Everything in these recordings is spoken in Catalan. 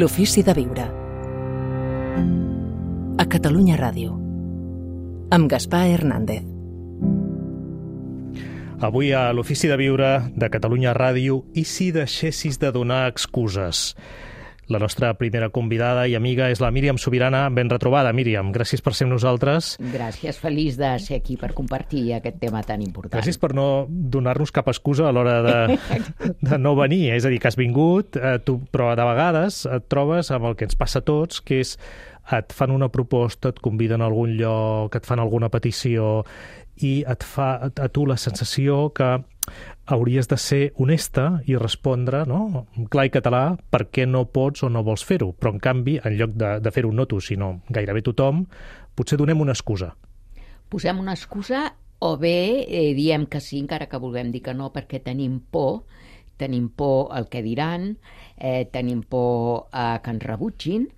L'ofici de viure. A Catalunya Ràdio. Amb Gaspar Hernández. Avui a l'Ofici de Viure de Catalunya Ràdio, i si deixessis de donar excuses? La nostra primera convidada i amiga és la Míriam Subirana. Ben retrobada, Míriam. Gràcies per ser amb nosaltres. Gràcies, feliç de ser aquí per compartir aquest tema tan important. Gràcies per no donar-nos cap excusa a l'hora de no venir. És a dir, que has vingut, però de vegades et trobes amb el que ens passa a tots, que és et fan una proposta, et conviden a algun lloc, et fan alguna petició i et fa a tu la sensació que hauries de ser honesta i respondre, no?, en clar i català, per què no pots o no vols fer-ho. Però, en canvi, en lloc de fer-ho no tu, sinó gairebé tothom, potser donem una excusa. Posem una excusa o bé diem que sí, encara que vulguem dir que no, perquè tenim por al que diran, tenim por a que ens rebutgin,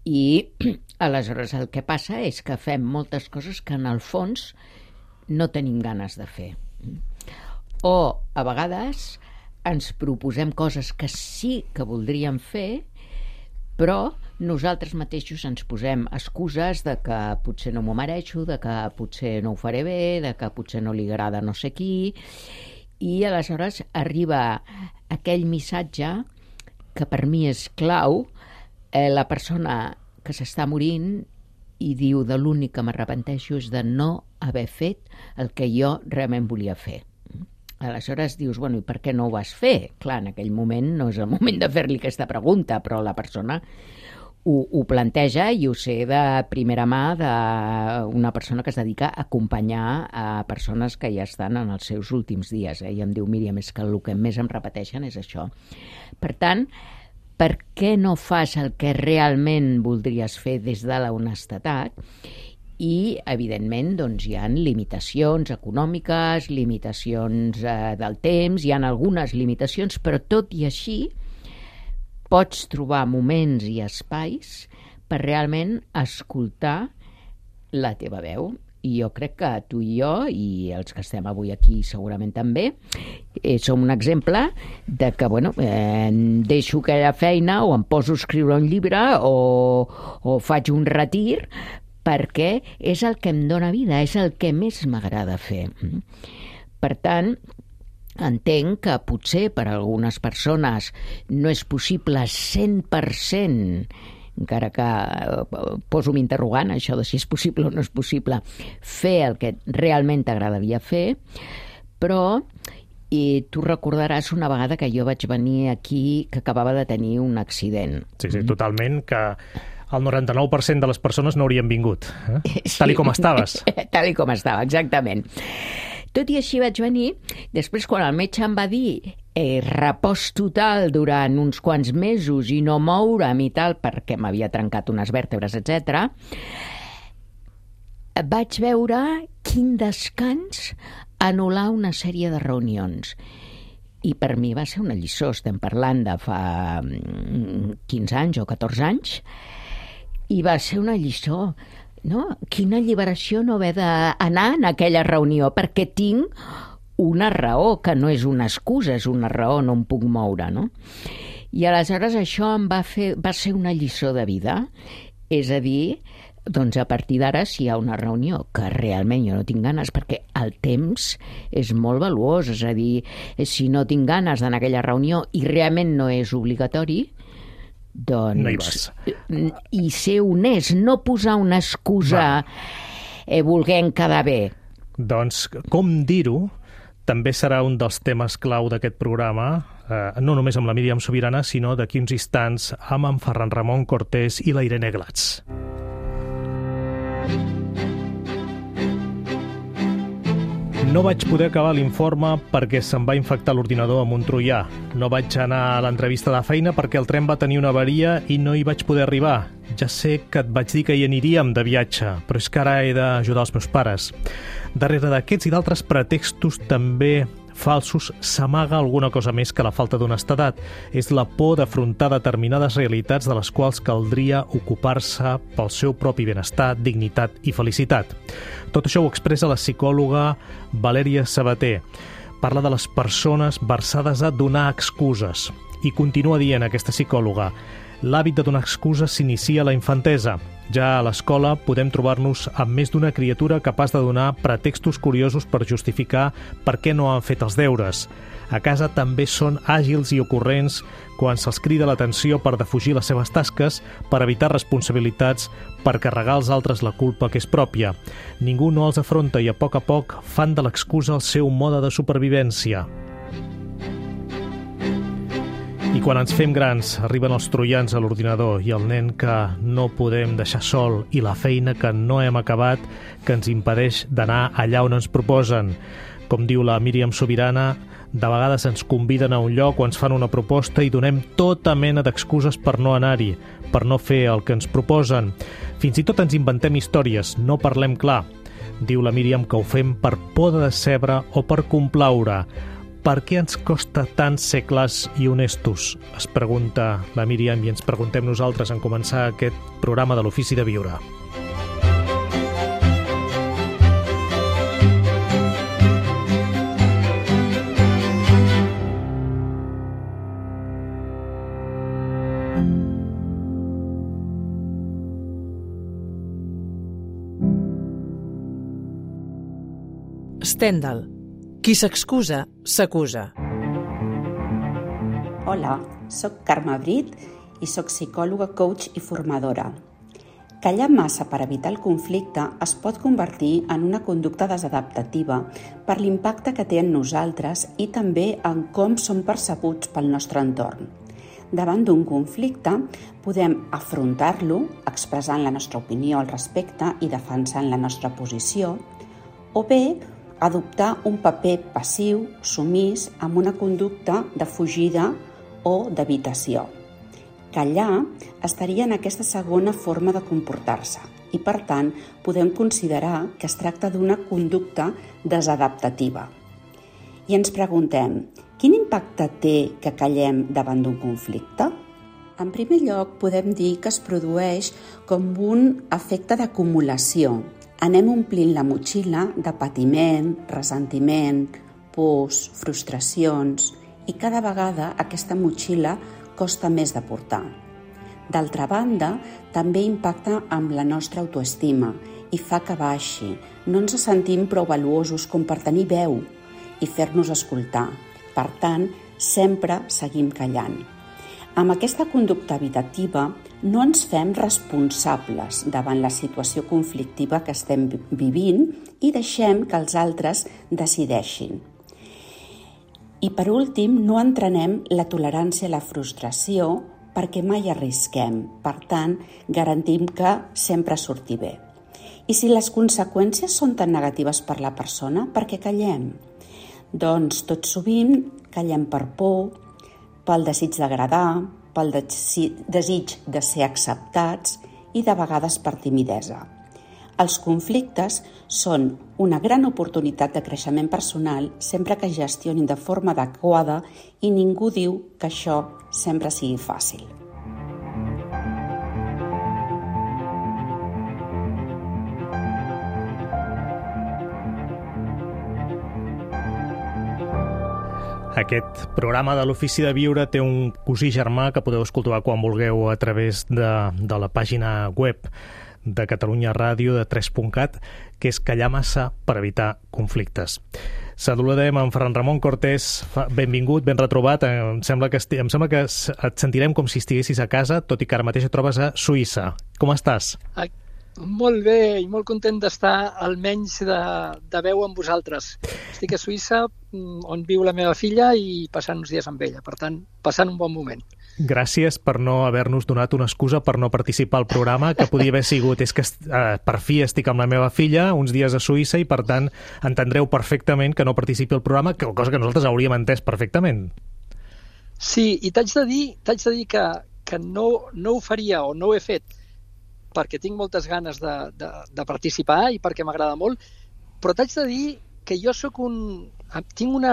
i aleshores el que passa és que fem moltes coses que en el fons no tenim ganes de fer. O a vegades ens proposem coses que sí que voldríem fer, però nosaltres mateixos ens posem excuses de que potser no m'ho mereixo, de que potser no ho faré bé, de que potser no li agrada no sé qui, i aleshores arriba aquell missatge que per mi és clau. La persona que s'està morint i diu de l'únic que m'arrepenteixo és de no haver fet el que jo realment volia fer. Aleshores dius, bueno, i per què no ho vas fer? Clar, en aquell moment no és el moment de fer-li aquesta pregunta, però la persona ho planteja, i ho sé de primera mà d'una persona que es dedica a acompanyar a persones que ja estan en els seus últims dies. I em diu, Míriam, és que el que més em repeteixen és això. Per tant, per què no fas el que realment voldries fer des de la honestedat? I, evidentment, doncs, hi ha limitacions econòmiques, limitacions del temps, hi ha algunes limitacions, però tot i així pots trobar moments i espais per realment escoltar la teva veu. I jo crec que tu i jo, i els que estem avui aquí segurament també, som un exemple de que, bueno, deixo aquella feina o em poso a escriure un llibre o faig un retir, perquè és el que em dóna vida, és el que més m'agrada fer. Per tant, entenc que potser per a algunes persones no és possible 100%, encara que poso un interrogant, això de si és possible o no és possible, fer el que realment t'agradaria fer, però tu recordaràs una vegada que jo vaig venir aquí, que acabava de tenir un accident. Sí, totalment, que el 99% de les persones no haurien vingut, sí. Tal i com estaves. Tal i com estava, exactament. Tot i així vaig venir. Després, quan el metge em va dir repòs total durant uns quants mesos i no moure'm i tal, perquè m'havia trencat unes vèrtebres, etc., vaig veure quin descans anul·lar una sèrie de reunions. I per mi va ser una lliçó. Estem parlant de fa 15 anys o 14 anys, i va ser una lliçó. No? Quina alliberació no haver d'anar en aquella reunió, perquè tinc una raó, que no és una excusa, és una raó, no em puc moure, no? I aleshores això va ser una lliçó de vida. És a dir, doncs a partir d'ara, si hi ha una reunió que realment jo no tinc ganes, perquè el temps és molt valuós, és a dir, si no tinc ganes d'anar a aquella reunió i realment no és obligatori, doncs no hi vas. I ser honest, no posar una excusa volent quedar bé. Doncs com dir-ho també serà un dels temes clau d'aquest programa, no només amb la Míriam Subirana, sinó d'aquí uns instants amb en Ferran Ramon Cortés i la Irene Glatz. No vaig poder acabar l'informe perquè se'm va infectar l'ordinador amb un troià. No vaig anar a l'entrevista de feina perquè el tren va tenir una avaria i no hi vaig poder arribar. Ja sé que et vaig dir que hi aniríem de viatge, però és que ara he d'ajudar els meus pares. Darrere d'aquests i d'altres pretextos també falsos s'amaga alguna cosa més que la falta d'honestedat. És la por d'afrontar determinades realitats de les quals caldria ocupar-se pel seu propi benestar, dignitat i felicitat. Tot això ho expressa la psicòloga Valèria Sabater. Parla de les persones versades a donar excuses. I continua dient aquesta psicòloga: L'hàbit de donar excuses s'inicia a la infantesa. Ja a l'escola podem trobar-nos amb més d'una criatura capaç de donar pretextos curiosos per justificar per què no han fet els deures. A casa també són àgils i ocurrents quan se'ls crida l'atenció per defugir les seves tasques, per evitar responsabilitats, per carregar als altres la culpa que és pròpia. Ningú no els afronta i a poc fan de l'excusa el seu mode de supervivència. I quan ens fem grans, arriben els troians a l'ordinador i el nen que no podem deixar sol i la feina que no hem acabat que ens impedeix d'anar allà on ens proposen. Com diu la Míriam Sobirana, de vegades ens conviden a un lloc o ens fan una proposta i donem tota mena d'excuses per no anar-hi, per no fer el que ens proposen. Fins i tot ens inventem històries, no parlem clar. Diu la Míriam que ho fem per por de decebre o per complaure. Per què ens costa tant ser clars i honestos? Es pregunta la Míriam i ens preguntem nosaltres en començar aquest programa de l'Ofici de Viure. Stendhal. Qui s'excusa, s'acusa. Hola, soc Carme Brit i soc psicòloga, coach i formadora. Callar massa per evitar el conflicte es pot convertir en una conducta desadaptativa per l'impacte que té en nosaltres i també en com som percebuts pel nostre entorn. Davant d'un conflicte, podem afrontar-lo expressant la nostra opinió al respecte i defensant la nostra posició, o bé adoptar un paper passiu, sumís, amb una conducta de fugida o d'evitació. Callar estaria en aquesta segona forma de comportar-se i, per tant, podem considerar que es tracta d'una conducta desadaptativa. I ens preguntem, quin impacte té que callem davant d'un conflicte? En primer lloc, podem dir que es produeix com un efecte d'acumulació. Anem omplint la motxilla de patiment, ressentiment, pors, frustracions i cada vegada aquesta motxilla costa més de portar. D'altra banda, també impacta amb la nostra autoestima i fa que baixi. No ens sentim prou valuosos com per tenir veu i fer-nos escoltar. Per tant, sempre seguim callant. Amb aquesta conducta evitativa no ens fem responsables davant la situació conflictiva que estem vivint i deixem que els altres decideixin. I per últim, no entrenem la tolerància a la frustració perquè mai arrisquem. Per tant, garantim que sempre surti bé. I si les conseqüències són tan negatives per la persona, per què callem? Doncs tot sovint callem per por, pel desig d'agradar, pel desig de ser acceptats i de vegades per timidesa. Els conflictes són una gran oportunitat de creixement personal sempre que es gestionin de forma adequada i ningú diu que això sempre sigui fàcil. Aquest programa de l'Ofici de Viure té un cosí germà que podeu escoltar quan vulgueu a través de la pàgina web de Catalunya Ràdio de 3.cat, que és Callar massa per evitar conflictes. Saludem en Ferran Ramon Cortés. Benvingut, ben retrobat. Em sembla que et sentirem com si estiguessis a casa, tot i que ara mateix et trobes a Suïssa. Com estàs? Molt bé i molt content d'estar almenys de veu amb vosaltres. Estic a Suïssa, on viu la meva filla, i passant uns dies amb ella. Per tant, passant un bon moment. Gràcies per no haver-nos donat una excusa per no participar al programa, que podia haver sigut és que per fi estic amb la meva filla uns dies a Suïssa i per tant entendreu perfectament que no participi al programa, cosa que nosaltres hauríem entès perfectament. Sí, i t'haig de dir que no ho faria o no ho he fet perquè tinc moltes ganes de participar i perquè m'agrada molt, però t'haig de dir que jo tinc un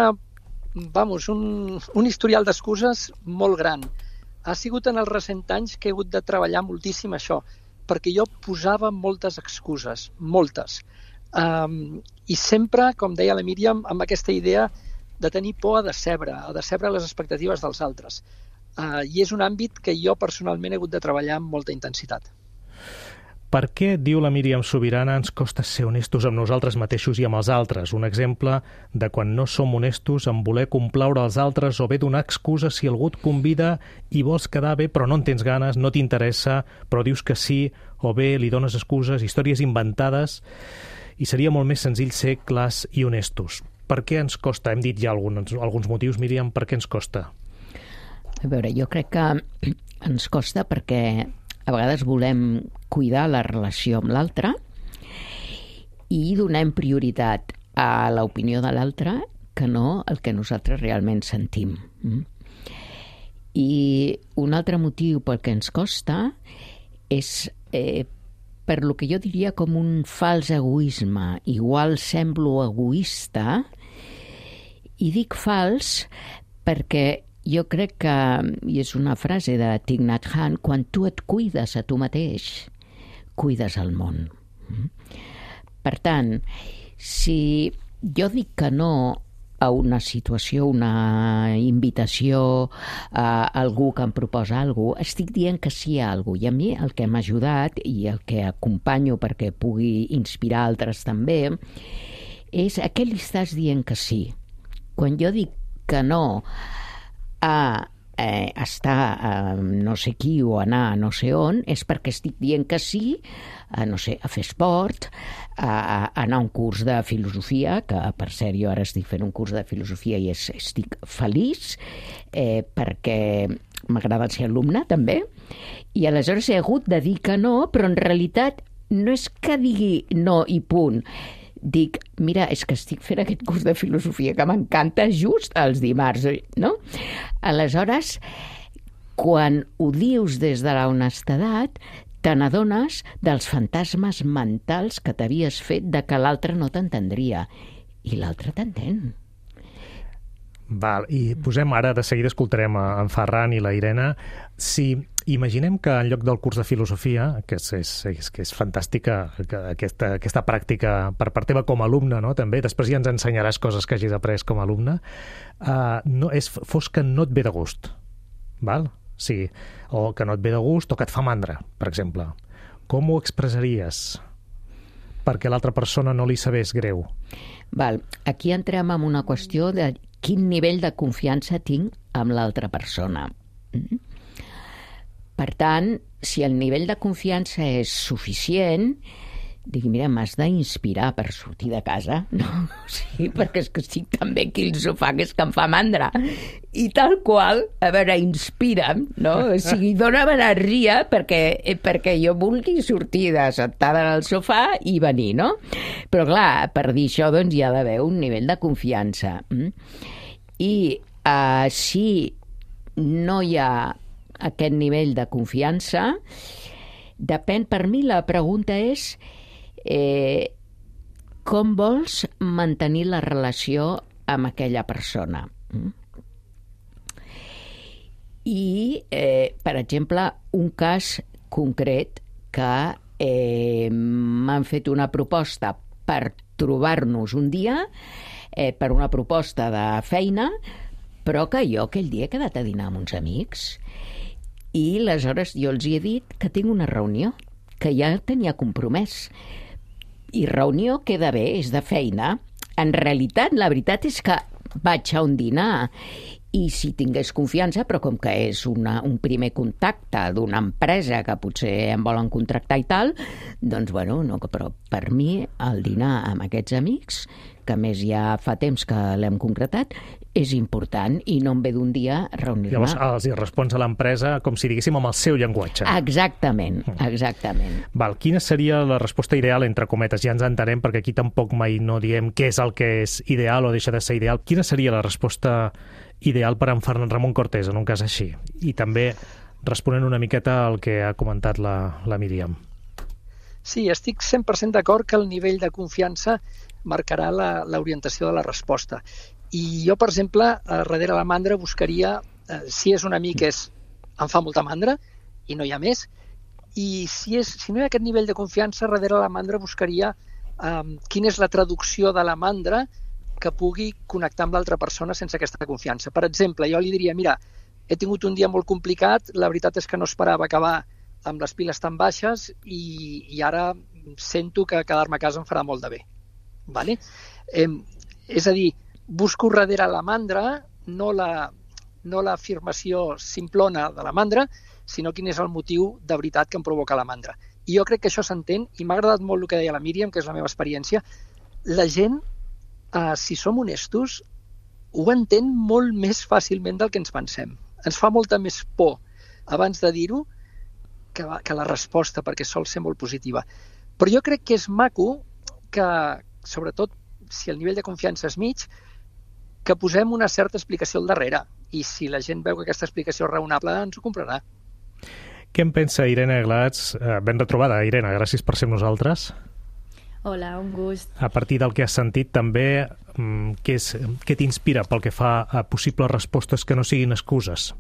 historial d'excuses molt gran. Ha sigut en els recents anys que he hagut de treballar moltíssim això, perquè jo posava moltes excuses, moltes. I sempre, com deia la Míriam, amb aquesta idea de tenir por a decebre les expectatives dels altres. i és un àmbit que jo personalment he hagut de treballar amb molta intensitat. Per què, diu la Míriam Subirana, ens costa ser honestos amb nosaltres mateixos i amb els altres? Un exemple de quan no som honestos en voler complaure els altres o bé donar excuses si algú et convida i vols quedar bé però no en tens ganes, no t'interessa, però dius que sí, o bé li dones excuses, històries inventades, i seria molt més senzill ser clars i honestos. Per què ens costa? Hem dit ja alguns motius, Míriam, per què ens costa? A veure, jo crec que ens costa perquè a vegades volem cuidar la relació amb l'altre i donem prioritat a l'opinió de l'altre que no el que nosaltres realment sentim. I un altre motiu pel que ens costa és per lo que jo diria com un fals egoisme. Igual semblo egoista i dic fals perquè jo crec que, i és una frase de Thich Nhat Hanh, quan tu et cuides a tu mateix, cuides el món. Per tant, si jo dic que no a una situació, una invitació a algú que em proposa alguna cosa, estic dient que sí a alguna cosa. I a mi el que m'ha ajudat i el que acompanyo perquè pugui inspirar altres també és a què li estàs dient que sí. Quan jo dic que no a estar a no sé qui o anar a no sé on, és perquè estic dient que sí a, no sé, a fer esport, a anar a un curs de filosofia, que per cert jo ara estic fent un curs de filosofia i estic feliç perquè m'agrada ser alumne també, i aleshores he hagut de dir que no, però en realitat no és que digui no i punt. Dic, mira, és que estic fent aquest curs de filosofia que m'encanta just els dimarts, no? Aleshores, quan ho dius des de la honestedat, te n'adones dels fantasmes mentals que t'havies fet de que l'altre no t'entendria. I l'altre t'entén. Val, i posem ara, de seguida escoltarem en Ferran i la Irene. Si imaginem que en lloc del curs de filosofia, que és fantàstica aquesta pràctica per part teva com a alumne, no? També, després ja ens ensenyaràs coses que hagis après com a alumne, fos que no et ve de gust, val? Sí, o que no et ve de gust o que et fa mandra, per exemple. Com ho expressaries perquè l'altra persona no li sabés greu? Val, aquí entrem en una qüestió de quin nivell de confiança tinc amb l'altra persona. Per tant, si el nivell de confiança és suficient, dic, mira, m'has d'inspirar per sortir de casa, no? Sí, perquè és que estic tan bé aquí al sofà que és que em fa mandra. I tal qual, a veure, inspira'm, no? O sigui, dóna'm energia perquè jo vulgui sortir de sentada en el sofà i venir, no? Però clar, per dir això, doncs hi ha d'haver un nivell de confiança. I si no hi ha aquest nivell de confiança, depèn, per mi la pregunta és com vols mantenir la relació amb aquella persona. I, per exemple, un cas concret que m'han fet una proposta per trobar-nos un dia, per una proposta de feina, però que jo aquell dia he quedat a dinar amb uns amics. I aleshores jo els he dit que tinc una reunió, que ja tenia compromès. I reunió queda bé, és de feina. En realitat, la veritat és que vaig a un dinar i si tingués confiança, però com que és un primer contacte d'una empresa que potser em volen contractar i tal, doncs, bueno, no, però per mi el dinar amb aquests amics, que a més ja fa temps que l'hem concretat, és important i no em ve d'un dia reunir-me. Llavors els respons a l'empresa com si diguéssim amb el seu llenguatge. Exactament, exactament. Val, quina seria la resposta ideal, entre cometes? Ja ens entenem, perquè aquí tampoc mai no diem què és el que és ideal o deixa de ser ideal. Quina seria la resposta ideal per en Ferran Ramon Cortés en un cas així? I també responent una miqueta al que ha comentat la Míriam. Sí, estic 100% d'acord que el nivell de confiança marcarà l'orientació de la resposta. I jo, per exemple, darrere la mandra buscaria, si és un amic em fa molta mandra i no hi ha més, i si no hi ha aquest nivell de confiança, darrere la mandra buscaria quina és la traducció de la mandra que pugui connectar amb l'altra persona sense aquesta confiança. Per exemple, jo li diria, mira, he tingut un dia molt complicat, la veritat és que no esperava acabar amb les piles tan baixes i ara sento que quedar-me a casa em farà molt de bé. Vale? És a dir, busco darrere la mandra, no l'afirmació simplona de la mandra, sinó quin és el motiu de veritat que em provoca la mandra. I jo crec que això s'entén, i m'ha agradat molt el que deia la Míriam, que és la meva experiència. La gent, si som honestos, ho entén molt més fàcilment del que ens pensem. Ens fa molta més por abans de dir-ho que la resposta, perquè sol ser molt positiva. Però jo crec que és maco que, sobretot si el nivell de confiança és mig, que posem una certa explicació al darrere. I si la gent veu que aquesta explicació és raonable, ens ho comprarà. Què en pensa Irene Glats? Ben retrobada, Irene, gràcies per ser amb nosaltres. Hola, un gust. A partir del que has sentit també, què t'inspira pel que fa a possibles respostes que no siguin excuses?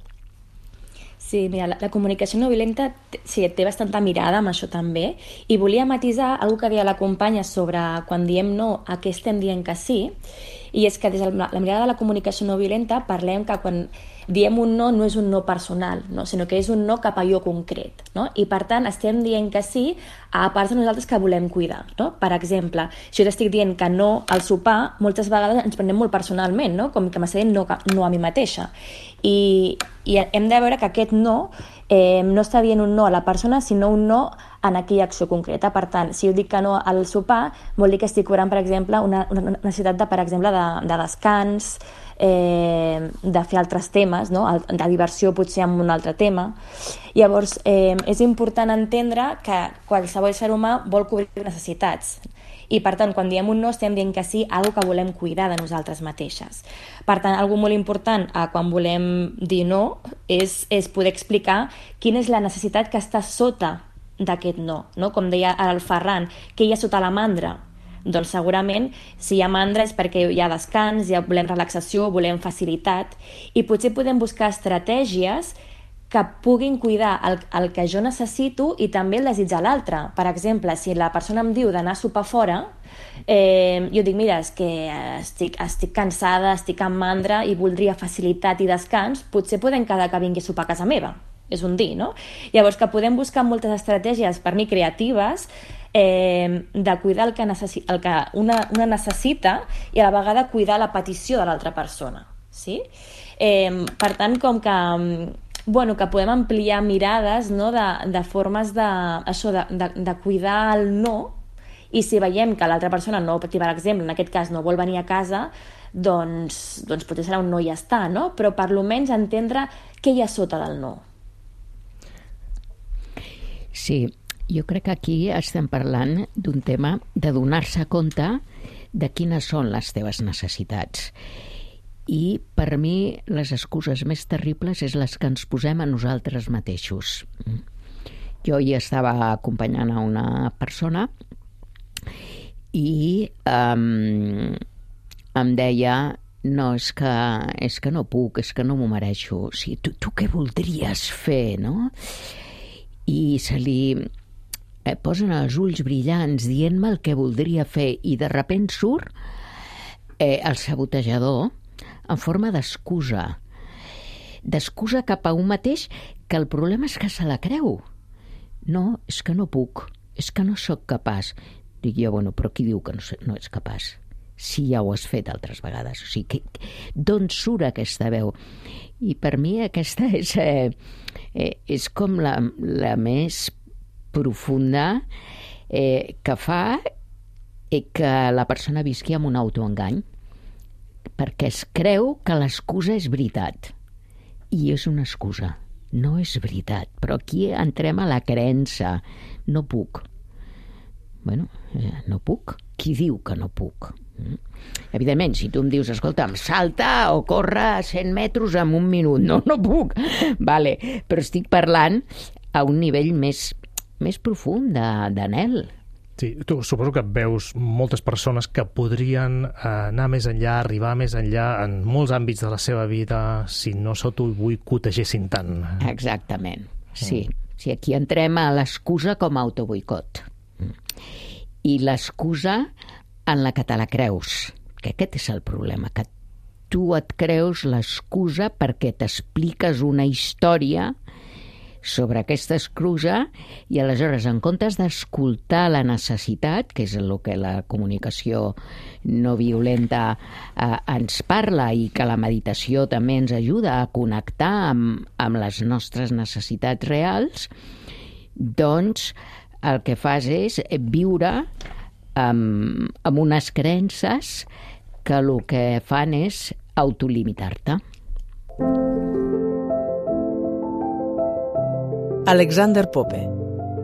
Sí, mira, la comunicació no violenta té bastanta mirada amb això també, i volia matisar una que deia la companya sobre quan diem no, a què estem dient que sí, i és que des de la mirada de la comunicació no violenta parlem que quan diem un no no és un no personal, no? Sinó que és un no cap a allò concret, no? I per tant estem dient que sí a parts de nosaltres que volem cuidar, no? Per exemple, si jo t'estic dient que no al sopar, moltes vegades ens prenem molt personalment, no? Com que m'està dient no a mi mateixa. I hem de veure que aquest no no està dient un no a la persona, sinó un no en aquella acció concreta. Per tant, si jo dic que no al sopar, vol dir que estic cobrant, per exemple, una necessitat de, per exemple, de descans, de fer altres temes, no? De diversió potser amb un altre tema. Llavors, és important entendre que qualsevol ser humà vol cobrir necessitats. I, per tant, quan diem un no, estem dient que sí a alguna que volem cuidar de nosaltres mateixes. Per tant, una molt important quan volem dir no és poder explicar quina és la necessitat que està sota d'aquest no. Com deia el Ferran, què hi ha sota la mandra? Doncs segurament, si hi ha mandra és perquè hi ha descans, ja volem relaxació, volem facilitat, i potser podem buscar estratègies que puguin cuidar el que jo necessito i també el desig de l'altre. Per exemple, si la persona em diu d'anar a sopar fora, jo dic, mira, és que estic cansada, estic amb mandra i voldria facilitat i descans, potser podem quedar que vingui a sopar a casa meva. És un dir, no? Llavors, que podem buscar moltes estratègies, per mi creatives, de cuidar el que una necessita i a la vegada cuidar la petició de l'altra persona. Sí? Per tant, com que que podem ampliar mirades, no? de formes de cuidar el no, i si veiem que l'altra persona no, per exemple, en aquest cas no vol venir a casa, doncs potser serà un no i ja està, no? Però per almenys entendre què hi ha sota del no. Sí, jo crec que aquí estem parlant d'un tema de donar-se compte de quines són les teves necessitats. I per mi les excuses més terribles és les que ens posem a nosaltres mateixos. Jo hi estava acompanyant a una persona i em deia no, és que no puc, és que no m'ho mereixo. O sigui, tu què voldries fer, no? I se li posen els ulls brillants dient-me el que voldria fer i de sobte surt el sabotejador en forma d'excusa cap a un mateix, que el problema és que se la creu. No, és que no puc, és que no sóc capaç. Dic jo, bueno, però qui diu que no ets capaç? Si ja ho has fet altres vegades. O sigui, d'on surt aquesta veu? I per mi aquesta és com la més profunda que fa que la persona visqui amb un autoengany, perquè es creu que l'excusa és veritat. I és una excusa, no és veritat. Però aquí entrem a la creença. No puc. Bueno, no puc. Qui diu que no puc? Evidentment, si tu em dius, escolta'm, salta o corre 100 metres en un minut. No puc. Vale, però estic parlant a un nivell més profund d'anhel. Sí, tu suposo que veus moltes persones que podrien anar més enllà, arribar més enllà en molts àmbits de la seva vida si no s'autoboicotegessin tant. Exactament, sí. Sí, aquí entrem a l'excusa com a autoboicot. I l'excusa en la que te la creus, que aquest és el problema, que tu et creus l'excusa perquè t'expliques una història sobre aquesta excusa i aleshores, en comptes d'escoltar la necessitat, que és el que la comunicació no violenta ens parla i que la meditació també ens ajuda a connectar amb les nostres necessitats reals, doncs el que fas és viure amb unes creences que el que fan és autolimitar-te. Alexander Pope.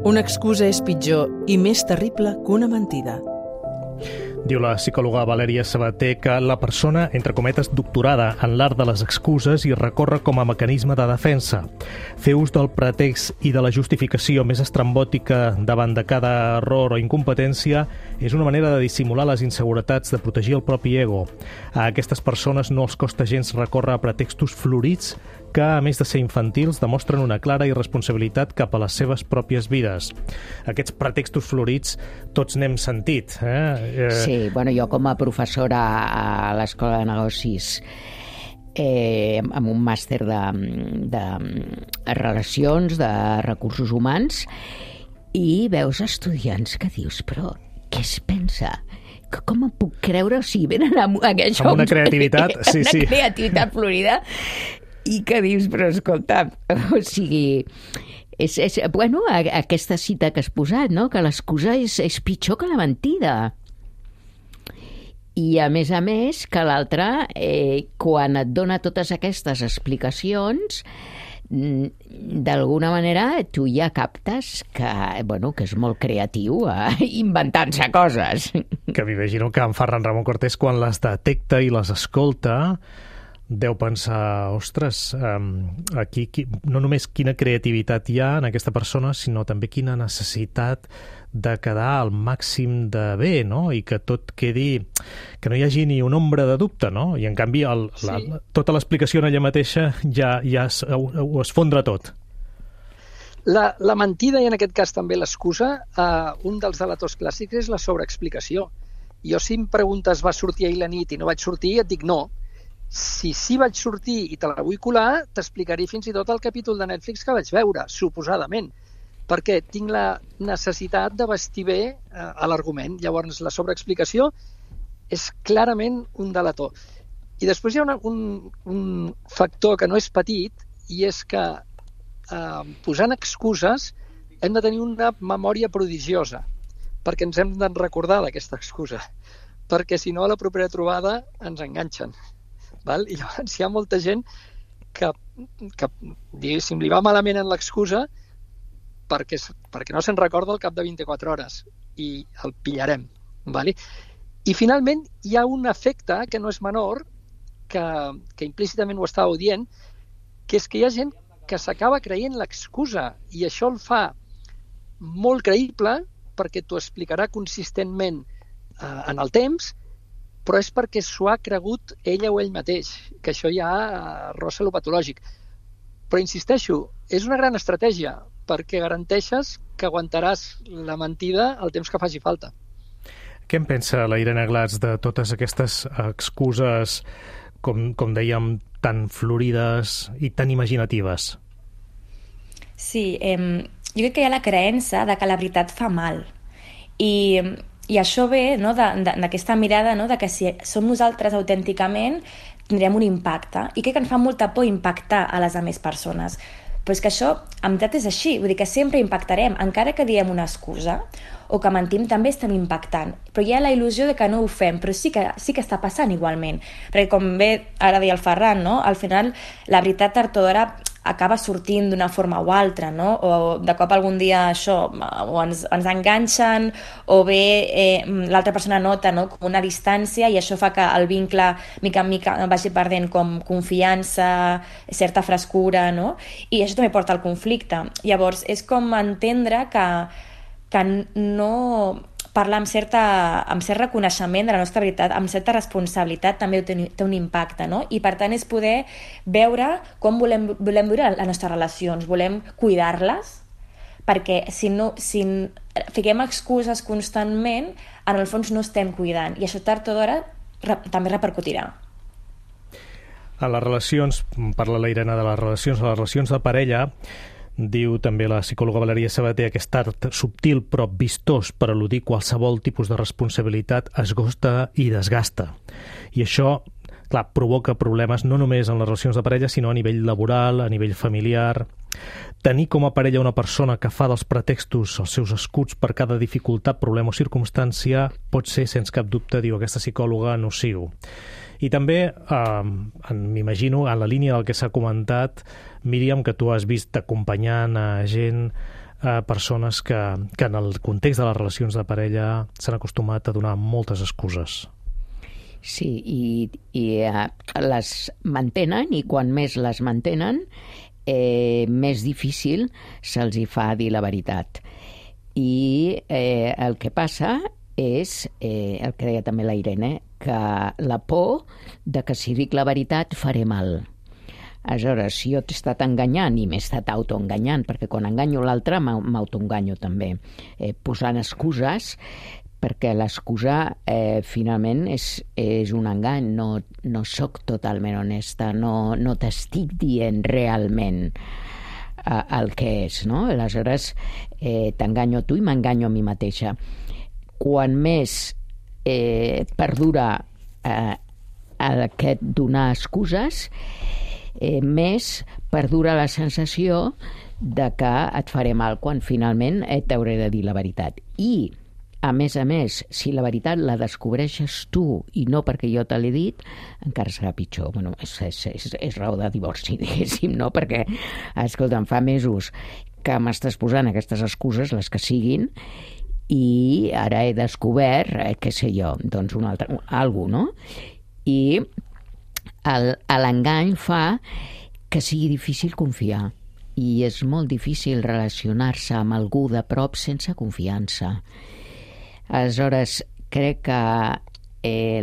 Una excusa és pitjor i més terrible que una mentida. Diu la psicòloga Valèria Sabater que la persona, entre cometes, doctorada en l'art de les excuses i recorre com a mecanisme de defensa. Fer ús del pretext i de la justificació més estrambòtica davant de cada error o incompetència és una manera de dissimular les inseguretats, de protegir el propi ego. A aquestes persones no els costa gens recórrer a pretextos florits que, a més de ser infantils, demostren una clara irresponsabilitat cap a les seves pròpies vides. Aquests pretextos florits tots n'hem sentit. Sí, bueno, jo com a professora a l'Escola de Negocis amb un màster de relacions, de recursos humans, i veus estudiants que dius, però què es pensa? Com em puc creure? O sigui, venen amb una creativitat, sí. Una creativitat florida, i que dius, però escolta, o sigui, bueno, aquesta cita que has posat, no? Que l'excusa és pitjor que la mentida. I, a més, que l'altre, quan et dona totes aquestes explicacions, d'alguna manera tu ja captes que és molt creatiu inventant-se coses. Que m'imagino que en Ferran Ramon Cortés, quan les detecta i les escolta, deu pensar, ostres, aquí no només quina creativitat hi ha en aquesta persona, sinó també quina necessitat de quedar al màxim de bé, no? I que tot quedi, que no hi hagi ni una ombra de dubte, no? I en canvi tota l'explicació en ella mateixa ja ho esfondra tot. La mentida, i en aquest cas també l'excusa, un dels delators clàssics és la sobreexplicació. Jo, si em preguntes, va sortir ahir la nit i no vaig sortir, et dic no. Si sí vaig sortir i te la vull colar, t'explicaré fins i tot el capítol de Netflix que vaig veure, suposadament, perquè tinc la necessitat de vestir bé a l'argument. Llavors, la sobreexplicació és clarament un delator. I després hi ha un factor que no és petit, i és que posant excuses hem de tenir una memòria prodigiosa, perquè ens hem de recordar d'aquesta excusa, perquè si no a la propera trobada ens enganxen. Val? I llavors hi ha molta gent que diguéssim, li va malament en l'excusa perquè no se'n recorda al cap de 24 hores i el pillarem. Val? I finalment hi ha un efecte que no és menor, que implícitament ho estàveu dient, que és que hi ha gent que s'acaba creient l'excusa i això el fa molt creïble perquè t'ho explicarà consistentment en el temps, però és perquè s'ho ha cregut ella o ell mateix, que això ja rossa lo patològic. Però insisteixo, és una gran estratègia, perquè garanteixes que aguantaràs la mentida el temps que faci falta. Què en pensa la Irene Glatz de totes aquestes excuses, com dèiem, tan florides i tan imaginatives? Sí, jo crec que hi ha la creença de que la veritat fa mal. I això ve, no, d'aquesta mirada, no, de que si som nosaltres autènticament tindrem un impacte. I crec que ens fa molta por impactar a les altres persones. Però és que això, en veritat, és així. Vull dir que sempre impactarem. Encara que diem una excusa o que mentim, també estem impactant. Però hi ha la il·lusió de que no ho fem, però sí que està passant igualment. Perquè com bé ara deia el Ferran, no? Al final la veritat tard o d'hora acaba sortint d'una forma o altra, no? O de cop algun dia això, o ens enganxen, o bé l'altra persona nota, no, com una distància, i això fa que el vincle mica en mica vagi perdent com confiança, certa frescura, no? I això també porta al conflicte. Llavors, és com entendre que no parlar amb cert reconeixement de la nostra veritat, amb certa responsabilitat, també té un impacte, no? I per tant és poder veure com volem viure les nostres relacions, volem cuidar-les, perquè si fiquem excuses constantment, en el fons no estem cuidant, i això tard o d'hora també repercutirà. A les relacions, parla la Irene de les relacions de parella, diu també la psicòloga Valeria Sabater, aquest art subtil però vistós per eludir qualsevol tipus de responsabilitat esgosta i desgasta. I això, clar, provoca problemes no només en les relacions de parella, sinó a nivell laboral, a nivell familiar. Tenir com a parella una persona que fa dels pretextos els seus escuts per cada dificultat, problema o circumstància pot ser, sense cap dubte, diu aquesta psicòloga, nociu. I també, m'imagino, en la línia del que s'ha comentat, Míriam, que tu has vist acompanyant a gent, persones que en el context de les relacions de parella s'han acostumat a donar moltes excuses. Sí, i les mantenen, i quan més les mantenen, més difícil se'ls hi fa dir la veritat. I el que passa és, el que deia també la Irene, que la por de que si dic la veritat faré mal. Aleshores, si jo t'he estat enganyant i m'he estat autoenganyant, perquè quan enganyo l'altre m'autoenganyo també, posant excuses, perquè l'excusa finalment és un engany, no soc totalment honesta, no t'estic dient realment el que és, no? Aleshores t'enganyo a tu i m'enganyo a mi mateixa. Quan més perdura aquest donar excuses, més perdura la sensació de que et faré mal quan finalment t'hauré de dir la veritat. I, a més, si la veritat la descobreixes tu i no perquè jo te l'he dit, encara serà pitjor. Bueno, és raó de divorci, diguéssim, no? Perquè, escolta, em fa mesos que m'estàs posant aquestes excuses, les que siguin, i ara he descobert, què sé jo, doncs alguna cosa, no? I l'engany fa que sigui difícil confiar, i és molt difícil relacionar-se amb algú de prop sense confiança. Aleshores, crec que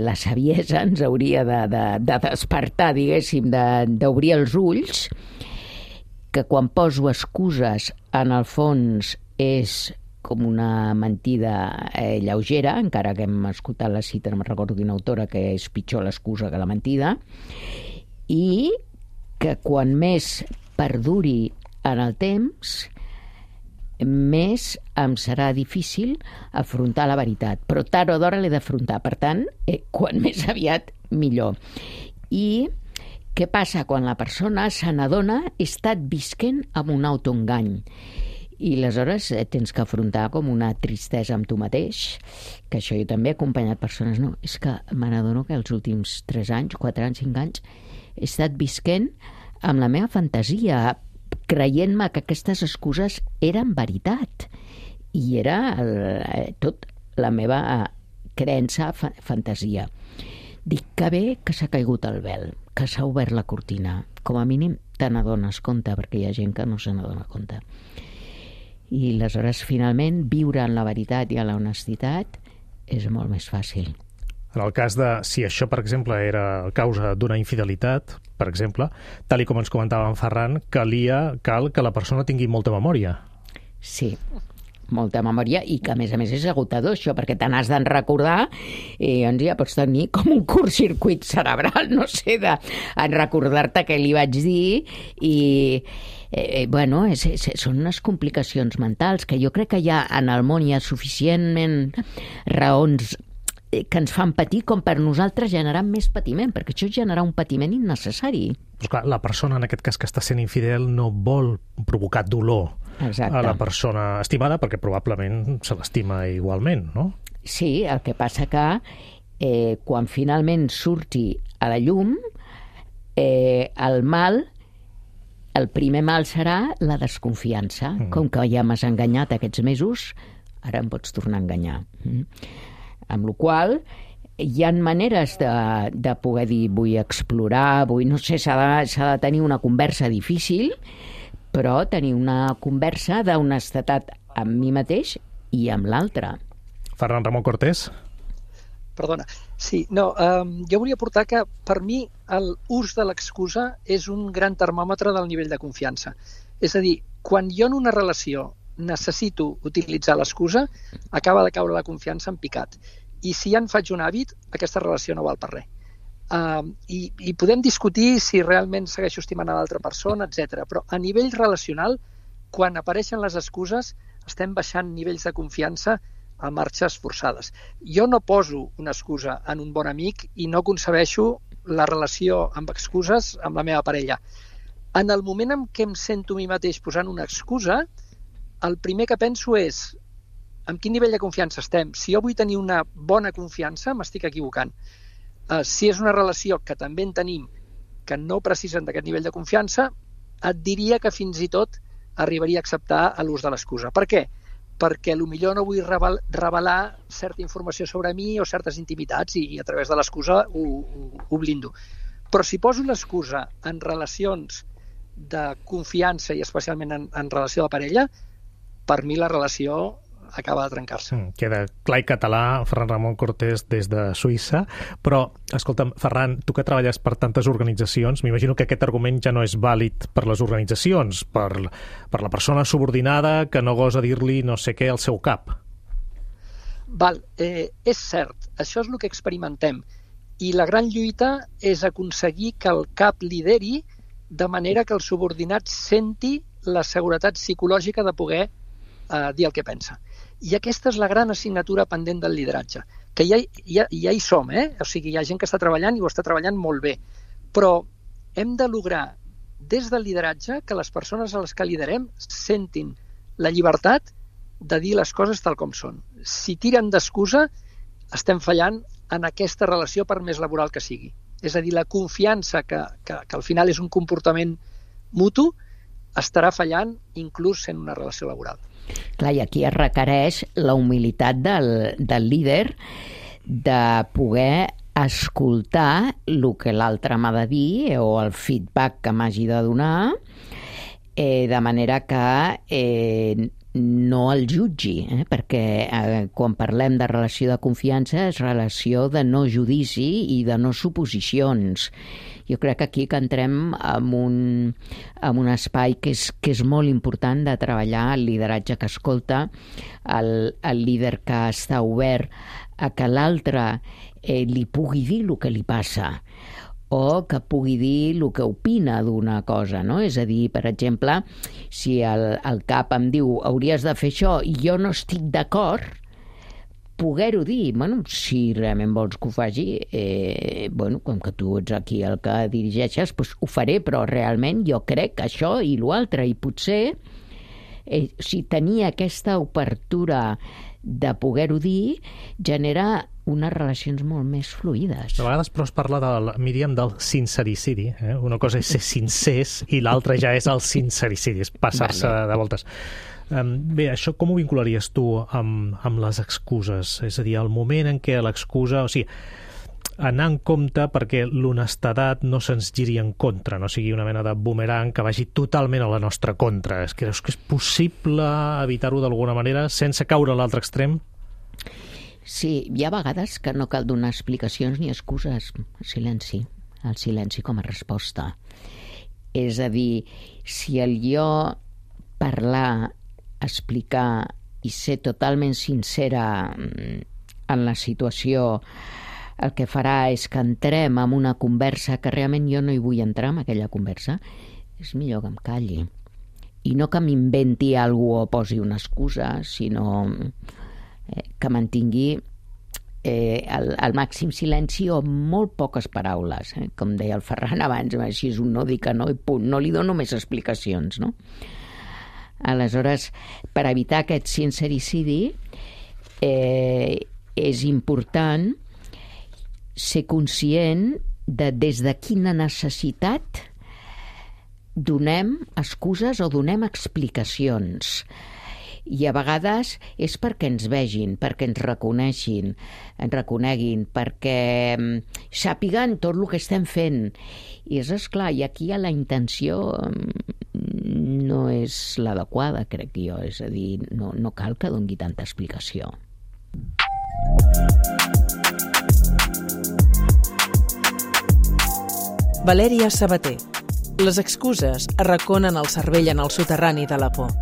la saviesa ens hauria de despertar, diguéssim, d'obrir els ulls, que quan poso excuses, en el fons és com una mentida lleugera, encara que hem escoltat la cita, no me'n recordo quina autora, que és pitjor l'excusa que la mentida, i que quan més perduri en el temps, més em serà difícil afrontar la veritat. Però tard o d'hora l'he d'afrontar. Per tant, quan més aviat, millor. I què passa quan la persona se n'adona he estat visquent amb un autoengany? I aleshores tens que afrontar com una tristesa amb tu mateix, que això jo també he acompanyat persones, no, és que me n'adono que els últims 3 anys, 4 anys, 5 anys he estat visquent amb la meva fantasia, creient-me que aquestes excuses eren veritat i era tot la meva creença, fantasia. Dic que bé que s'ha caigut el vel, que s'ha obert la cortina, com a mínim te n'adones compte, perquè hi ha gent que no se n'adona compte. I aleshores, finalment, viure en la veritat i en la honestitat és molt més fàcil. En el cas de, si això, per exemple, era causa d'una infidelitat, per exemple, tal i com ens comentava en Ferran, cal que la persona tingui molta memòria. Sí, molta memòria, i que a més és agotador això, perquè te n'has d'en recordar i doncs ja pots tenir com un curtcircuit cerebral, no sé, en recordar-te què li vaig dir i bueno, són unes complicacions mentals que jo crec que ja en el món hi ha suficientment raons que ens fan patir com per nosaltres generar més patiment, perquè això genera un patiment innecessari. Però clar, la persona en aquest cas que està sent infidel no vol provocar dolor a la persona estimada perquè probablement se l'estima igualment, no? Sí, el que passa que quan finalment surti a la llum el primer mal serà la desconfiança. Com que ja m'has enganyat aquests mesos, ara em pots tornar a enganyar. Amb la qual hi ha maneres de poder dir vull explorar, no sé, s'ha de tenir una conversa difícil, però tenir una conversa d'honestedat amb mi mateix i amb l'altre. Ferran Ramon Cortés. Perdona. Sí, no, jo volia portar que per mi l'ús de l'excusa és un gran termòmetre del nivell de confiança. És a dir, quan jo en una relació necessito utilitzar l'excusa, acaba de caure la confiança en picat. I si ja en faig un hàbit, aquesta relació no val per res. I podem discutir si realment segueixo estimant a l'altra persona, etc. Però a nivell relacional, quan apareixen les excuses, estem baixant nivells de confiança a marxes forçades. Jo no poso una excusa en un bon amic i no concebeixo la relació amb excuses amb la meva parella. En el moment en què em sento a mi mateix posant una excusa, el primer que penso és amb quin nivell de confiança estem. Si jo vull tenir una bona confiança, m'estic equivocant. Si és una relació que també en tenim que no precisen d'aquest nivell de confiança, et diria que fins i tot arribaria a acceptar l'ús de l'excusa. Per què? Perquè potser no vull revelar certa informació sobre mi o certes intimitats i a través de l'excusa ho blindo. Però si poso l'excusa en relacions de confiança i especialment en relació de parella, per mi la relació acaba de trencar-se. Queda clar i català, Ferran Ramon Cortés des de Suïssa, però, escolta'm, Ferran, tu que treballes per tantes organitzacions, m'imagino que aquest argument ja no és vàlid per les organitzacions, per la persona subordinada que no gosa dir-li no sé què al seu cap. És cert, això és el que experimentem, i la gran lluita és aconseguir que el cap lideri de manera que el subordinat senti la seguretat psicològica de poder dir el que pensa. I aquesta és la gran assignatura pendent del lideratge, que ja hi som, o sigui, hi ha gent que està treballant i ho està treballant molt bé, però hem de lograr des del lideratge que les persones a les que liderem sentin la llibertat de dir les coses tal com són. Si tiren d'excusa, estem fallant en aquesta relació per més laboral que sigui. És a dir, la confiança que al final és un comportament mutu estarà fallant inclús sent una relació laboral. Clar, i aquí es requereix la humilitat del líder de poder escoltar el que l'altre m'ha de dir o el feedback que m'hagi de donar, de manera que no el jutgi, perquè quan parlem de relació de confiança és relació de no judici i de no suposicions. Jo crec que aquí que entrem en un espai que és molt important de treballar el lideratge que escolta, el líder que està obert a que l'altre li pugui dir el que li passa o que pugui dir el que opina d'una cosa, no? És a dir, per exemple, si el cap em diu hauries de fer això i jo no estic d'acord, poder-ho dir, si realment vols que ho faci, com que tu ets aquí el que dirigeixes, doncs ho faré, però realment jo crec que això i l'altre, i potser si tenir aquesta obertura de poder-ho dir genera unes relacions molt més fluides. A vegades, però, es parla Míriam, del sincericidi. Una cosa és ser sincers i l'altra ja és el sincericidi, és passar-se de voltes. Bé, això com ho vincularies tu amb les excuses? És a dir, el moment en què l'excusa... O sigui, anar en compte perquè l'honestedat no se'ns giri en contra, no sigui una mena de boomerang que vagi totalment a la nostra contra. Creus que és possible evitar-ho d'alguna manera sense caure a l'altre extrem? Sí, hi ha vegades que no cal donar explicacions ni excuses. El silenci com a resposta. És a dir, si el jo parlar, explicar i ser totalment sincera en la situació, el que farà és que entrem en una conversa que realment jo no hi vull entrar en aquella conversa, és millor que em calli. I no que m'inventi alguna cosa o posi una excusa, sinó que mantingui el màxim silenci o molt poques paraules. Com deia el Ferran abans, si és un no, dic que no i punt. No li dono més explicacions, no? Aleshores, per evitar aquest sincericidi, és important ser conscient de des de quina necessitat donem excuses o donem explicacions. I a vegades és perquè ens vegin, perquè ens reconeguin, perquè sàpiguen tot el que estem fent. I és esclar, i aquí la intenció no és l'adequada, crec jo. És a dir, no cal que doni tanta explicació. Valèria Sabater. Les excuses arraconen el cervell en el soterrani de la por.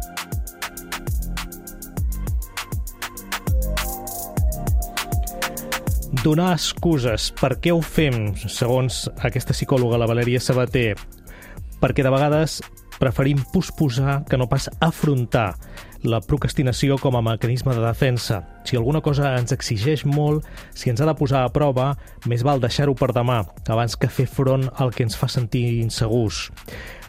Donar excuses. Per què ho fem, segons aquesta psicòloga, la Valèria Sabater? Perquè de vegades preferim posposar que no pas afrontar la procrastinació com a mecanisme de defensa. Si alguna cosa ens exigeix molt, si ens ha de posar a prova, més val deixar-ho per demà, abans que fer front al que ens fa sentir insegurs.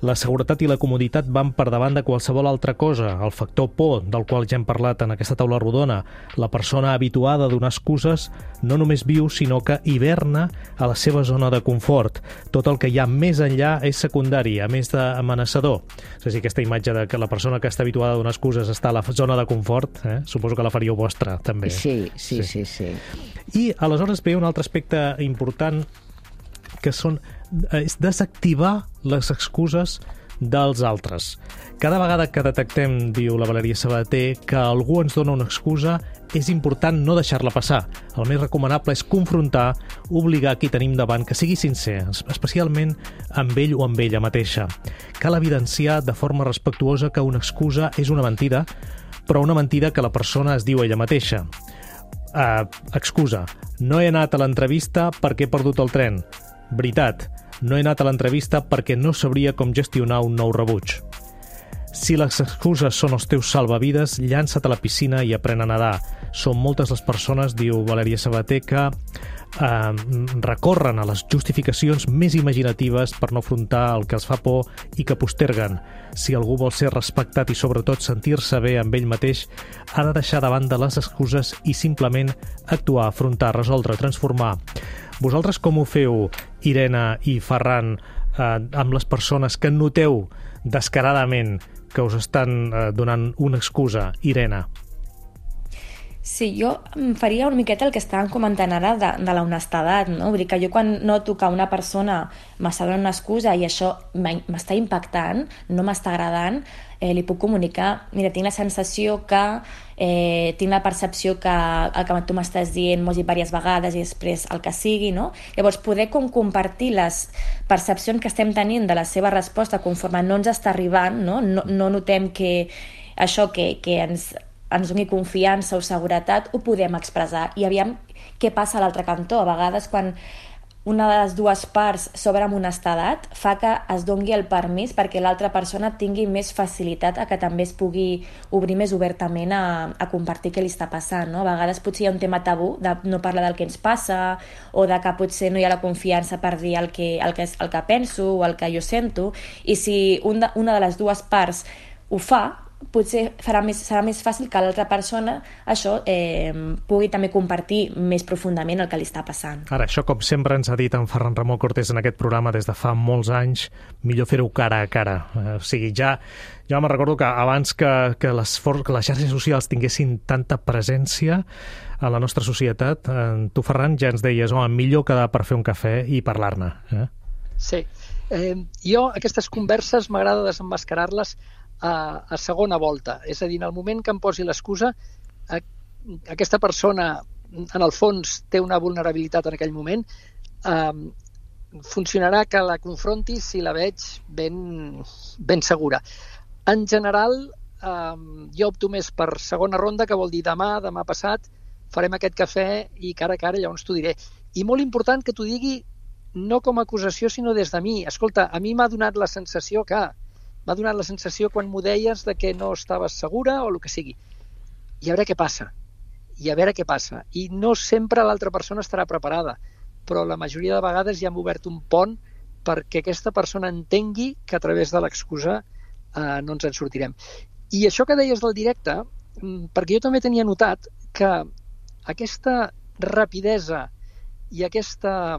La seguretat i la comoditat van per davant de qualsevol altra cosa. El factor por, del qual ja hem parlat en aquesta taula rodona, la persona habituada a donar excuses, no només viu, sinó que hiverna a la seva zona de confort. Tot el que hi ha més enllà és secundari, a més d'amenaçador. És a dir, aquesta imatge de que la persona que està habituada a donar excuses està a la zona de confort, suposo que la faríeu vostra, també. Sí. I aleshores ve un altre aspecte important, que és desactivar les excuses dels altres. Cada vegada que detectem, diu la Valèria Sabater, que algú ens dona una excusa, és important no deixar-la passar. El més recomanable és confrontar, obligar qui tenim davant que sigui sincer, especialment amb ell o amb ella mateixa. Cal evidenciar de forma respectuosa que una excusa és una mentida, però una mentida que la persona es diu ella mateixa. Excusa, no he anat a l'entrevista perquè he perdut el tren. Veritat, no he anat a l'entrevista perquè no sabria com gestionar un nou rebuig. Si les excuses són els teus salvavides, llança't a la piscina i aprèn a nedar. Són moltes les persones, diu Valèria Sabater, que recorren a les justificacions més imaginatives per no afrontar el que els fa por i que posterguen. Si algú vol ser respectat i sobretot sentir-se bé amb ell mateix, ha de deixar de banda les excuses i simplement actuar, afrontar, resoldre, transformar. Vosaltres com ho feu, Irene i Ferran, amb les persones que noteu descaradament que us estan donant una excusa? Irene. Sí, jo faria una miqueta el que estàvem comentant ara de la honestedat, no? Vull dir que jo quan noto que una persona m'està donant una excusa i això m'està impactant, no m'està agradant, li puc comunicar, mira, tinc la sensació que, tinc la percepció que el que tu m'estàs dient m'ho has dit diverses vegades i després el que sigui, no? Llavors, poder compartir les percepcions que estem tenint de la seva resposta conforme no ens està arribant, no notem que això que ens doni confiança o seguretat, ho podem expressar. I aviam què passa a l'altre cantó. A vegades, quan una de les dues parts s'obre amb honestedat, fa que es doni el permís perquè l'altra persona tingui més facilitat a que també es pugui obrir més obertament a compartir què li està passant. No? A vegades potser hi ha un tema tabú de no parlar del que ens passa o de que potser no hi ha la confiança per dir el que penso o el que jo sento, i si una de les dues parts ho fa, potser serà més fàcil que l'altra persona això pugui també compartir més profundament el que li està passant. Ara, això com sempre ens ha dit en Ferran Ramon Cortés en aquest programa des de fa molts anys, millor fer-ho cara a cara. O sigui, ja me'n recordo que abans que les xarxes socials tinguessin tanta presència a la nostra societat, tu, Ferran, ja ens deies, millor quedar per fer un cafè i parlar-ne. Sí. Jo aquestes converses m'agrada desemmascarar-les a segona volta, és a dir, en el moment que em posi l'excusa, aquesta persona en el fons té una vulnerabilitat en aquell moment, funcionarà que la confronti si la veig ben segura. En general, jo opto més per segona ronda, que vol dir demà passat farem aquest cafè i cara a cara, llavors t'ho diré. I molt important que t'ho digui no com a acusació, sinó des de mi. Escolta, a mi m'ha donat la sensació quan m'ho deies de que no estaves segura o el que sigui. I a veure què passa. I no sempre l'altra persona estarà preparada, però la majoria de vegades ja hem obert un pont perquè aquesta persona entengui que a través de l'excusa no ens en sortirem. I això que deies del directe, perquè jo també tenia notat que aquesta rapidesa i aquesta,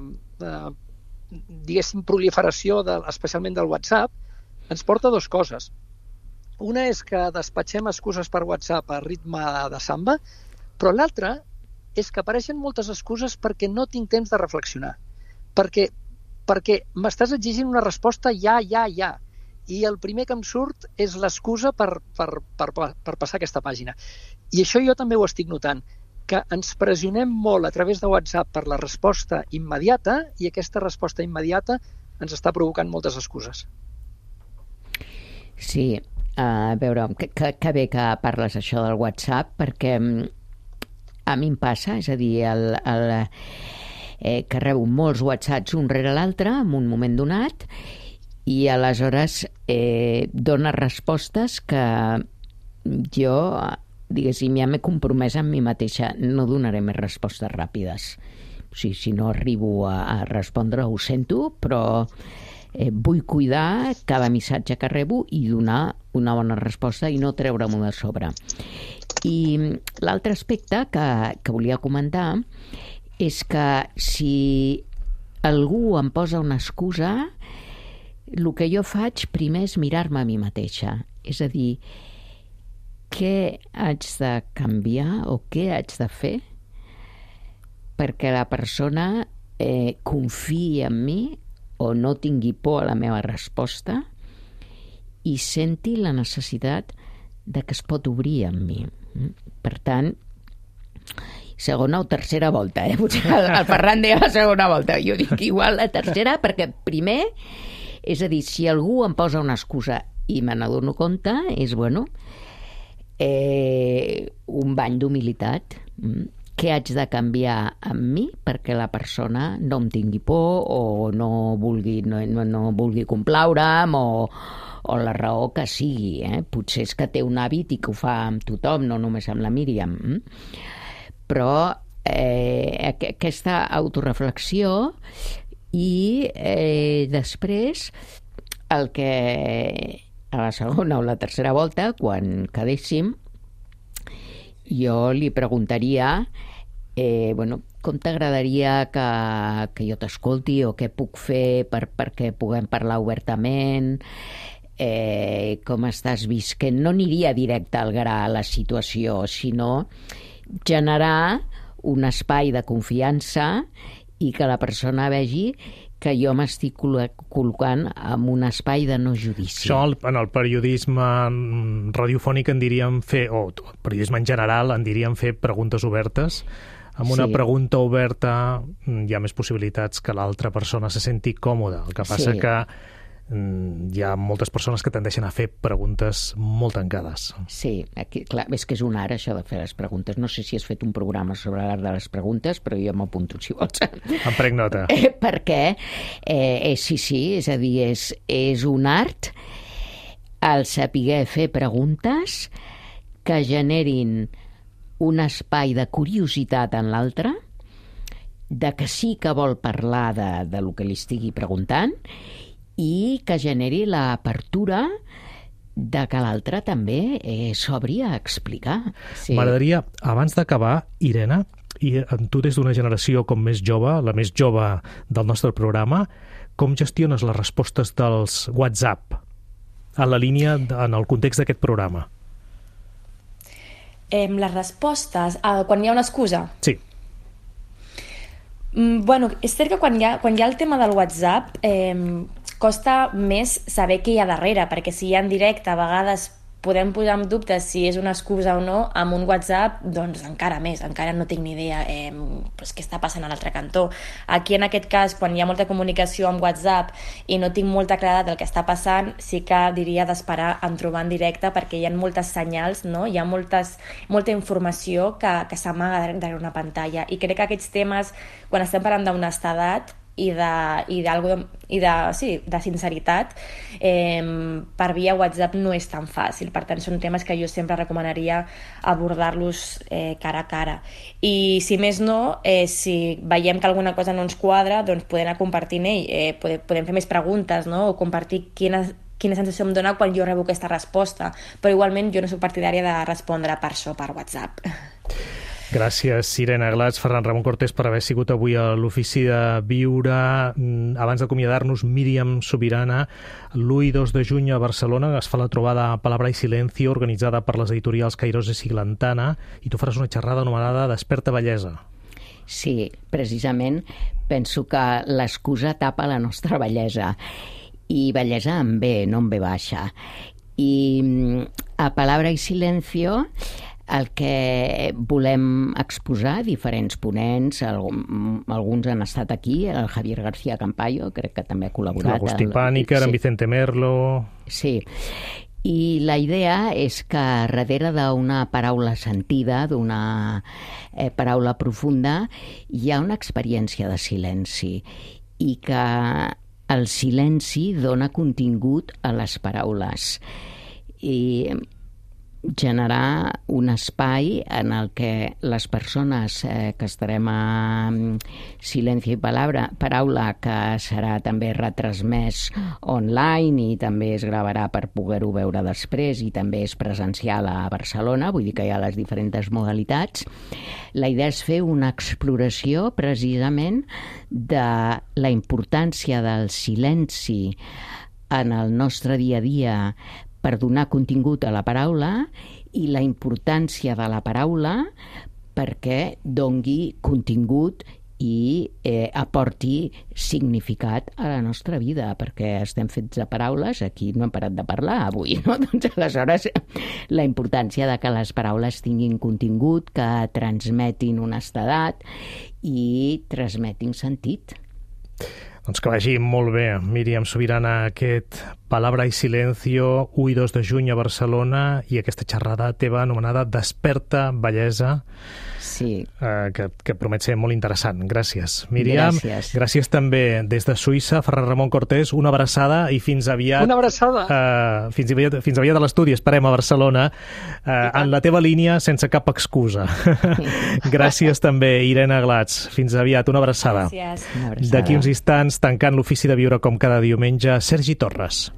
diguéssim, proliferació, especialment del WhatsApp, ens porta a dues coses. Una és que despatxem excuses per WhatsApp a ritme de samba, però l'altra és que apareixen moltes excuses perquè no tinc temps de reflexionar. Perquè m'estàs exigint una resposta ja. I el primer que em surt és l'excusa per passar aquesta pàgina. I això jo també ho estic notant, que ens pressionem molt a través de WhatsApp per la resposta immediata i aquesta resposta immediata ens està provocant moltes excuses. Sí, a veure, que bé que parles això del WhatsApp, perquè a mi em passa, és a dir, que rebo molts whatsapps un rere l'altre en un moment donat i aleshores dona respostes que jo, diguéssim, ja m'he compromès amb mi mateixa, no donaré més respostes ràpides. O sigui, si no arribo a respondre, ho sento, però vull cuidar cada missatge que rebo i donar una bona resposta i no treure-m'ho de sobre. I l'altre aspecte que volia comentar és que si algú em posa una excusa, el que jo faig primer és mirar-me a mi mateixa. És a dir, què haig de canviar o què haig de fer perquè la persona confiï en mi o no tingui por a la meva resposta i senti la necessitat de que es pot obrir amb mi. Per tant, segona o tercera volta, potser el Ferran deia la segona volta, jo dic igual la tercera, perquè primer, és a dir, si algú em posa una excusa i me n'adono compte, és, bueno, un bany d'humilitat. Què haig de canviar en mi perquè la persona no em tingui por o no vulgui complaure'm o la raó que sigui. Potser és que té un hàbit i que ho fa amb tothom, no només amb la Míriam. Però aquesta autoreflexió i després el que a la segona o la tercera volta, quan quedéssim, jo li preguntaria com t'agradaria que jo t'escolti o què puc fer perquè puguem parlar obertament, com estàs visquent. No aniria directe al gra a la situació, sinó generar un espai de confiança i que la persona vegi que jo m'estic col·locant en un espai de no judici. Això en el periodisme radiofònic en diríem fer, o periodisme en general, en diríem fer preguntes obertes. Amb una pregunta oberta hi ha més possibilitats que l'altra persona se senti còmoda. El que passa que hi ha moltes persones que tendeixen a fer preguntes molt tancades. Sí, aquí, clar, és que és un art això de fer les preguntes. No sé si has fet un programa sobre l'art de les preguntes, però jo m'apunto, si vols. Em prenc nota. Perquè, sí, és a dir, és un art el saber fer preguntes que generin un espai de curiositat en l'altre, de que sí que vol parlar de lo que li estigui preguntant i que generi l'apertura de que l'altre també s'obri a explicar. Sí. M'agradaria, abans d'acabar, Irene, i tu des d'una generació com més jove, la més jove del nostre programa, com gestiones les respostes dels WhatsApp a la línia, en el context d'aquest programa? Les respostes, quan hi ha una excusa? Sí. Bueno, és cert que quan hi ha el tema del WhatsApp costa més saber què hi ha darrere, perquè si hi ha en directe a vegades podem posar en dubte si és una excusa o no. Amb un WhatsApp, doncs encara més, encara no tinc ni idea què està passant a l'altre cantó. Aquí, en aquest cas, quan hi ha molta comunicació amb WhatsApp i no tinc molta claredat del que està passant, sí que diria d'esperar en trobar en directe, perquè hi ha moltes senyals, no? Hi ha molta informació que s'amaga darrere una pantalla, i crec que aquests temes, quan estem parlant d'honestedat i de sinceritat, per via WhatsApp no és tan fàcil. Per tant, són temes que jo sempre recomanaria abordar-los cara a cara. I si més no, si veiem que alguna cosa no ens quadra, doncs podem anar compartint, podem fer més preguntes, no? O compartir quina sensació em dona quan jo rebo aquesta resposta. Però igualment jo no soc partidària de respondre per això per WhatsApp. Gràcies, Irene Glats, Ferran Ramon Cortés, per haver sigut avui a l'Ofici de Viure. Abans d'acomiadar-nos, Míriam Subirana, l'1 i 2 de juny a Barcelona es fa la trobada Palabra i Silencio, organitzada per les editorials Cairós i Siglantana, i tu faràs una xerrada anomenada Desperta Bellesa. Sí, precisament penso que l'excusa tapa la nostra bellesa, i bellesa en B, no en B baixa. I a Palabra i Silencio el que volem exposar, diferents ponents, alguns han estat aquí, el Javier García Campayo, crec que també ha col·laborat. L'Agustí Pàniker, en Vicente Merlo... Sí, I la idea és que darrere d'una paraula sentida, d'una paraula profunda, hi ha una experiència de silenci i que el silenci dona contingut a les paraules i generar un espai en el que les persones que estarem a Silenci i Paraula, que serà també retransmès online i també es gravarà per poder-ho veure després i també és presencial a Barcelona, vull dir que hi ha les diferents modalitats. La idea és fer una exploració precisament de la importància del silenci en el nostre dia a dia per donar contingut a la paraula i la importància de la paraula perquè dongui contingut i aporti significat a la nostra vida, perquè estem fets de paraules, aquí no hem parat de parlar avui, no? Doncs aleshores la importància de que les paraules tinguin contingut, que transmetin honestedat i transmetin sentit. Doncs que vagi molt bé, Míriam Subirana, aquest Palabra i Silencio, 1 i 2 de juny a Barcelona, i aquesta xerrada teva anomenada Desperta Bellesa, sí. Que promet ser molt interessant. Gràcies, Míriam. Gràcies. Gràcies també des de Suïssa, Ferran Ramon Cortés, una abraçada i fins aviat. Una abraçada. Fins aviat a l'estudi, esperem a Barcelona, en la teva línia sense cap excusa. Gràcies també, Irene Glats. Fins aviat, una abraçada. Gràcies. Una abraçada. D'aquí uns instants, tancant l'ofici de viure com cada diumenge, Sergi Torres.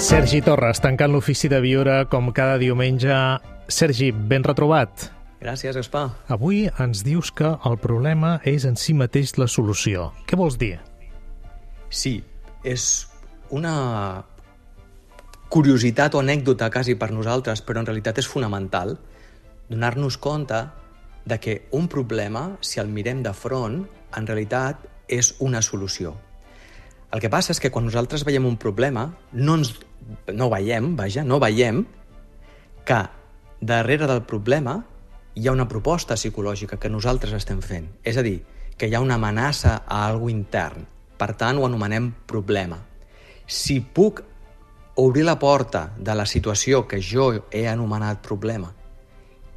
Sergi Torres, tancant l'ofici de viure com cada diumenge. Sergi, ben retrobat. Gràcies, Gaspar. Avui ens dius que el problema és en si mateix la solució. Què vols dir? Sí, és una curiositat o anècdota quasi per nosaltres, però en realitat és fonamental donar-nos compte de que un problema, si el mirem de front, en realitat és una solució. El que passa és que quan nosaltres veiem un problema, no veiem que darrere del problema hi ha una proposta psicològica que nosaltres estem fent. És a dir, que hi ha una amenaça a algú intern. Per tant, ho anomenem problema. Si puc obrir la porta de la situació que jo he anomenat problema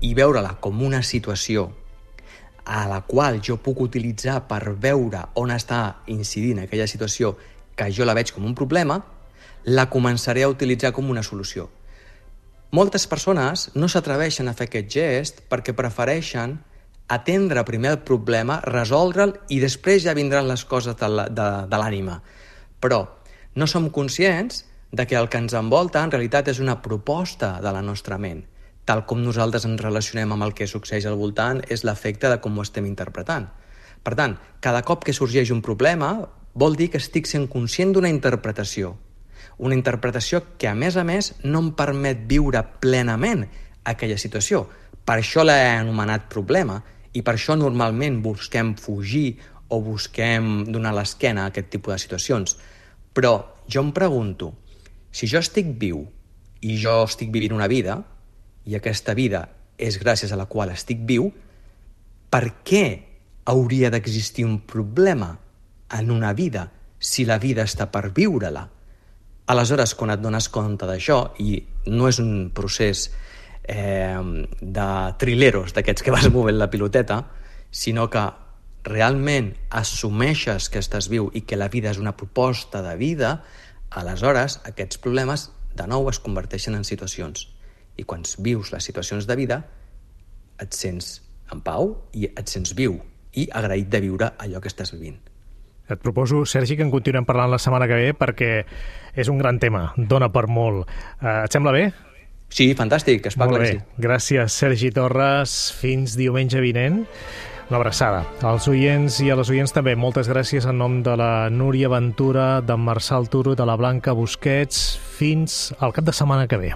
i veure-la com una situació a la qual jo puc utilitzar per veure on està incidint aquella situació que jo la veig com un problema, la començaré a utilitzar com una solució. Moltes persones no s'atreveixen a fer aquest gest perquè prefereixen atendre primer el problema, resoldre'l i després ja vindran les coses de l'ànima. Però no som conscients de que el que ens envolta en realitat és una proposta de la nostra ment. Tal com nosaltres ens relacionem amb el que succeeix al voltant és l'efecte de com ho estem interpretant. Per tant, cada cop que sorgeix un problema vol dir que estic sent conscient d'una interpretació. Una interpretació que, a més, no em permet viure plenament aquella situació. Per això l'he anomenat problema i per això normalment busquem fugir o busquem donar l'esquena a aquest tipus de situacions. Però jo em pregunto, si jo estic viu i jo estic vivint una vida, i aquesta vida és gràcies a la qual estic viu, per què hauria d'existir un problema en una vida si la vida està per viure-la? Aleshores, quan et dones compte d'això, i no és un procés de trileros, d'aquests que vas movent la piloteta, sinó que realment assumeixes que estàs viu i que la vida és una proposta de vida, aleshores aquests problemes de nou es converteixen en situacions. I quan vius les situacions de vida et sents en pau i et sents viu i agraït de viure allò que estàs vivint. Et proposo, Sergi, que en continuem parlant la setmana que ve perquè és un gran tema, dona per molt. Et sembla bé? Sí, fantàstic, es parla que sí. Gràcies, Sergi Torres. Fins diumenge vinent. Una abraçada. Als oients i a les oients també, moltes gràcies en nom de la Núria Ventura, d'en Marçal Turo, de la Blanca Busquets. Fins al cap de setmana que ve.